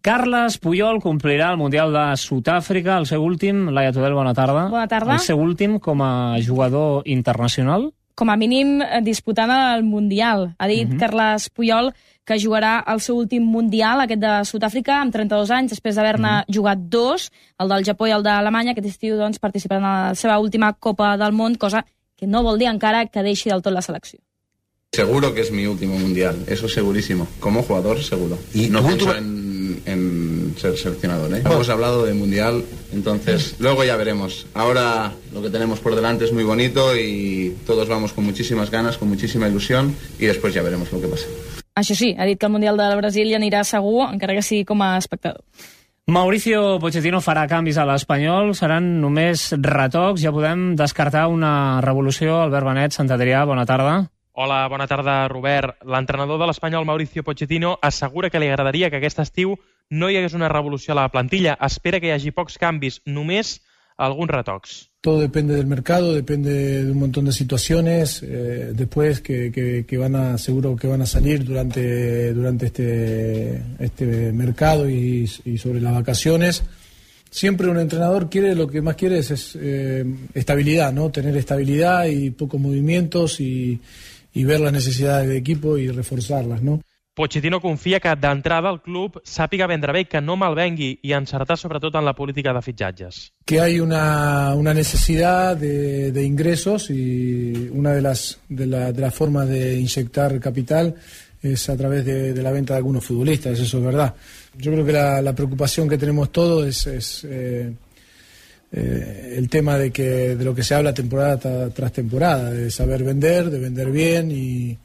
Carles Puyol complirà el Mundial de Sud-àfrica, el seu últim. Laia Tudel, bona tarda. Bona tarda. El seu últim com a jugador internacional? Com a mínim disputant el Mundial. Ha dit Carles Puyol que jugarà el seu últim Mundial, aquest de Sud-àfrica, amb 32 anys, després d'haver-ne jugat 2, el del Japó i el d'Alemanya. Aquest estiu doncs, participarà en la seva última Copa del Món, cosa que no vol dir encara que deixi del tot la selecció. Seguro que es mi último Mundial, eso segurísimo. Como jugador, seguro. Y no pienso en ser seleccionador, ¿eh? Hemos hablado de Mundial, entonces luego ya veremos. Ahora lo que tenemos por delante es muy bonito y todos vamos con muchísimas ganas, con muchísima ilusión y después ya veremos lo que pasa. Això sí, ha dit que el Mundial del Brasil hi anirà segur, encara que sigui com a espectador. Mauricio Pochettino farà canvis a l'Espanyol, seran només retocs, ja podem descartar una revolució. Albert Benet, Sant Adrià, bona tarda. Hola, bona tarda, Robert. L'entrenador de l'Espanyol, Mauricio Pochettino, assegura que li agradaria que aquest estiu no hi hagués una revolució a la plantilla. Espera que hi hagi pocs canvis, només alguns retocs. Todo depende del mercado, depende de un montón de situaciones, después que seguro que van a salir durante este mercado y sobre las vacaciones. Siempre un entrenador lo que más quiere es estabilidad, ¿no? Tener estabilidad y pocos movimientos y ver las necesidades del equipo y reforzarlas, ¿no? Pochettino confia que d'entrada el club sàpiga vendre bé, que no malvengui i encertar sobretot en la política de fitxatges. Que hay una necesidad de ingresos y una de las formas de inyectar capital es a través de la venta de algunos futbolistas, eso es verdad. Yo creo que la preocupación que tenemos todos es el tema de lo que se habla temporada tras temporada, de saber vender, de vender bien y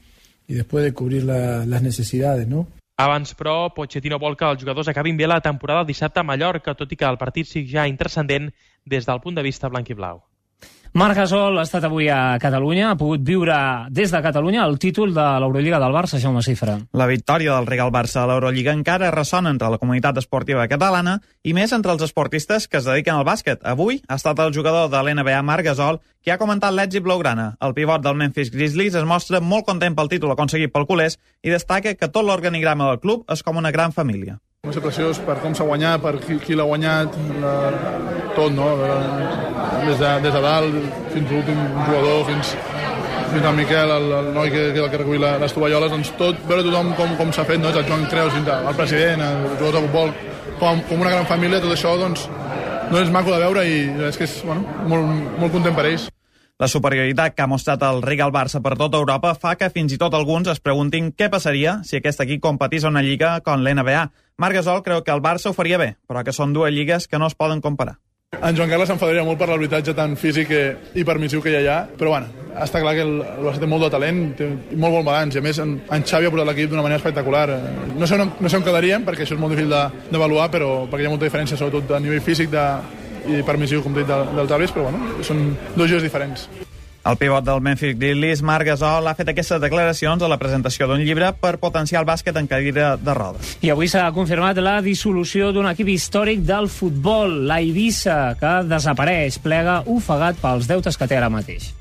després de cobrir les necessitats, no? Abans, però, Pochettino vol que els jugadors acabin bé la temporada dissabte a Mallorca, tot i que el partit sigui ja intranscendent des del punt de vista blanc i blau. Marc Gasol ha estat avui a Catalunya, ha pogut viure des de Catalunya el títol de l'Eurolliga del Barça, Jaume Cifra. La victòria del Real Barça a l'Eurolliga encara ressona entre la comunitat esportiva catalana i més entre els esportistes que es dediquen al bàsquet. Avui ha estat el jugador de l'NBA, Marc Gasol, qui ha comentat l'èxit blaugrana. El pivot del Memphis Grizzlies es mostra molt content pel títol aconseguit pel culers i destaca que tot l'organigrama del club és com una gran família. Va ser preciós per com s'ha guanyat, per qui l'ha guanyat, tot, no? Des de dalt fins a l'últim jugador, fins al Miquel, el noi que recull les tovalloles, doncs tot, veure tothom com s'ha fet, no? El Joan Creus, el president, els jugadors de futbol, com una gran família, tot això doncs és maco de veure i és que és molt content per ells. La superioritat que ha mostrat el Real Barça per tota Europa fa que fins i tot alguns es preguntin què passaria si aquest equip competís a una lliga com l'NBA. Marc Gasol creu que el Barça ho faria bé, però que són dues lligues que no es poden comparar. En Joan Carles s'enfadaria molt per l'arbitratge tan físic i permissiu que hi ha, però bueno, està clar que el Barça té molt de talent, té molt bon balanç, i a més en Xavi ha portat l'equip d'una manera espectacular. No sé on quedaríem, perquè això és molt difícil d'avaluar, però perquè hi ha molta diferència, sobretot a nivell físic i permissiu, com dit, dels àrbits, però bueno, són dos jocs diferents. El pivot del Memphis Grizzlies, Marc Gasol, ha fet aquestes declaracions a la presentació d'un llibre per potenciar el bàsquet en cadira de rodes. I avui s'ha confirmat la dissolució d'un equip històric del futbol, l'Eivissa, que desapareix, plega ofegat pels deutes que té ara mateix.